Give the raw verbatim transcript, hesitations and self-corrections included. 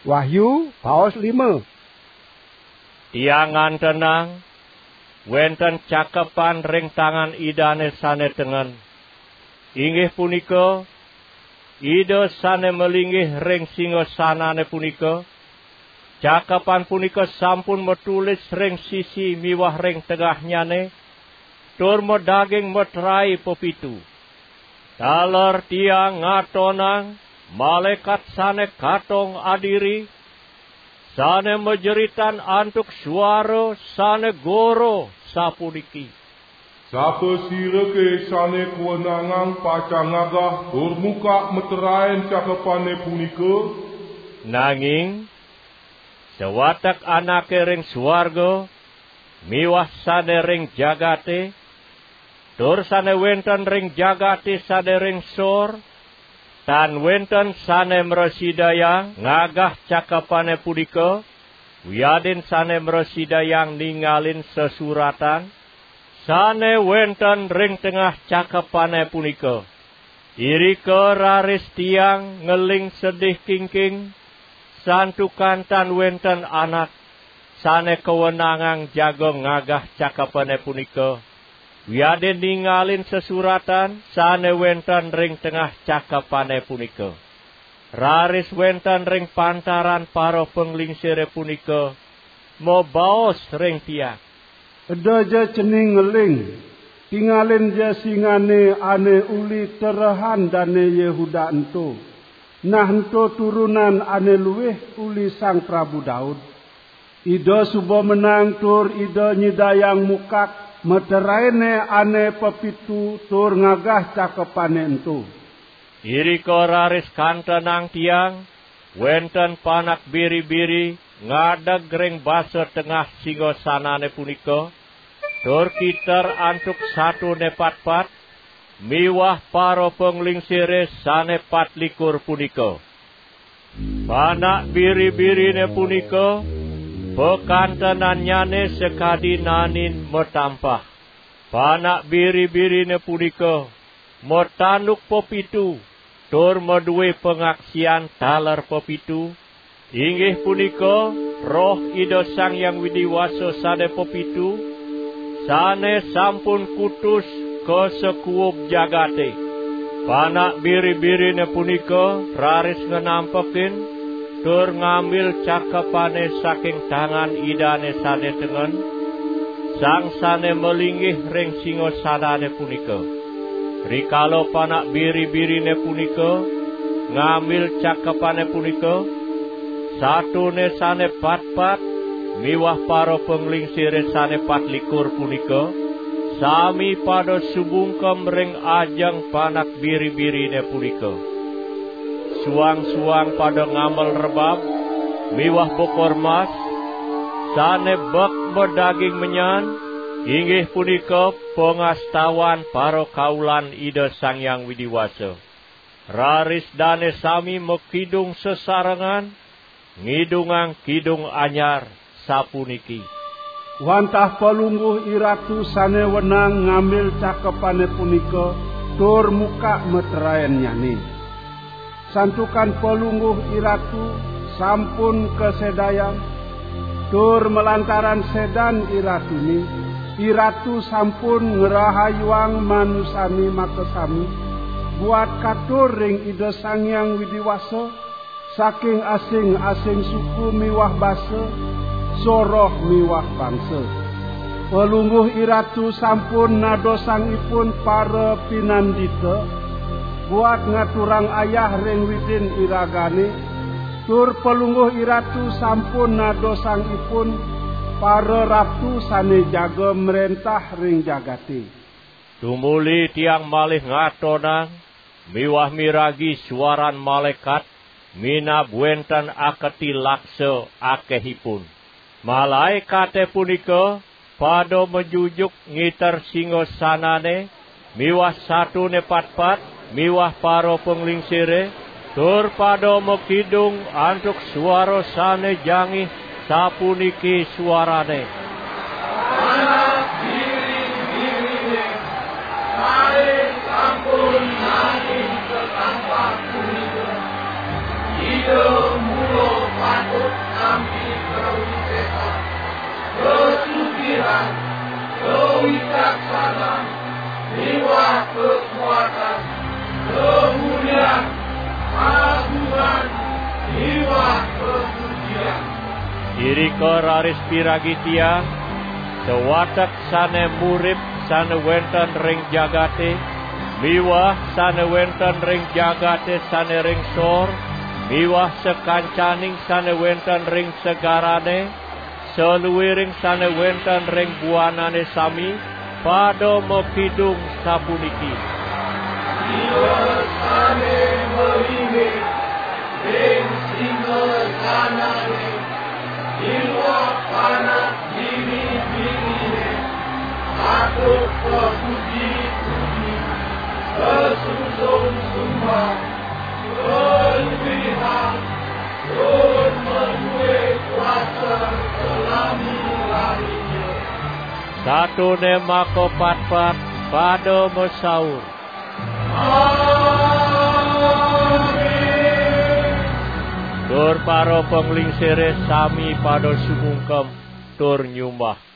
Wahyu, baos lima. Tiang ngantenang, wenten cakepan ring tangan Idane sane tengen. Inggih punika, Ida sane malinggih ring singasanane punika. Cakepan punika sampun matulis ring sisi miwah ring tengahnyane, tur madaging matrai pepitu. Taler tiang ngatonang malaekat sane katong adiri, sane majeritan antuk suara sane goro, sapuniki: Sapasirake sane kawenangang pacang ngagah tur mukak meteraen cakepane punika? Nanging sawatek anake ring suarga miwah sane ring jagate, tur sane wenten ring jagate sane ring sor, tan wenten sane mrasidayang ngagah cakepane punika, wiadin sane mrasidayang ningalin sesuratan sane wenten ring tengah cakepane punika. Irika raris tiang ngeling sedih kingking, santukan tan wenten anak sane kawenangang jaga ngagah cakepane punika, wiadin ningalin sesuratan sane wenten ring tengah cakepane punika. Raris wenten ring pantaran para panglingsire punika mabaos ring tiang: Eda ja cening ngeling, tingalin ja singane ane uli terehan Dane Yehuda ento, nah ento turunan ane luih uli Sang Prabu Daud. Ida suba menang tur Ida nyidayang mukak meteraene ane pepitu tur ngagah cakepane ento. Irika raris kantenang tiang, wenten panak biri-biri ngadeg ring basa tengah singasanane punika, tur kiter antuk satone patpat, miwah para panglingsire sane patlikur punika. Panak biri-birine punika, pakantenannyane sakadi nanin matampah. Panak biri-birine punika matanduk pepitu, tur madue pangaksian taler pepitu, inggih punika Roh Ida Sang Hyang Widi Wasa sane pepitu, sane sampun kutus ka sakuub jagate. Panak biri-birine punika raris nganampekin tur ngambil cakepane saking tangan Idane sane tengen, sang sane malinggih ring singasanane punika. Rikala panak biri-birine punika ngambil cakepane punika, satone sane patpat miwah para panglingsire sane patlikur punika sami pada sumungkem ring ajeng panak biri-birine punika. Suang-suang pada ngamel rebab miwah bokor mas, sane bek madaging menyan, inggih punika pangastawan para kaulan Ida Sang Hyang Widi Wasa. Raris dane sami makidung sesarengan, ngidungang kidung anyar, sapuniki: Wantah Palungguh Iratu sane wenang ngambil cakepane punika tur mukak meteraennyane. Santukan Palungguh Iratu sampun kasedayang, tur malantaran sedan Iratune, Iratu sampun ngrahayuang manusane makasami, buat katur ring Ida Sang Hyang Widi Wasa, saking asing-asing suku miwah basa, soroh miwah bangsa. Palungguh Iratu sampun nadosang ipun para pinandita, buat ngaturang ayah ring Widin iragane, tur Palungguh Iratu sampun nadosang ipun para ratu sane jaga mrentah ring jagate. Tumuli tiang malih ngatonang miwah miragi suaran malaekat minab wenten aketi laksa akehipun. Malaekate punika pada majujuk ngiter singasanane miwah satone patpat miwah para panglingsire, tur pada makidung antuk suara sane jangih, sapuniki suarane: Anak biri-birine sane sampun nanging setampah punika, Ida mula Irika raris piragi tiang, sawatek sane murip sane wenten ring jagate, miwah sane wenten ring jagate sane ring sor, miwah sakancaning sane wenten ring segarane, saluiring sane wenten ring buanane sami, pada makidung sapuniki: Ira sane malinggih ring singasanane miwah panak bini-binine, patut kapuji-puji, kasungsung sembah, kaluihan, tur madue kuasa salami-lamine. Satone makapatpat pada masaur: Amin. Tur para panglingsire sami pada sumungkem tur nyumbah.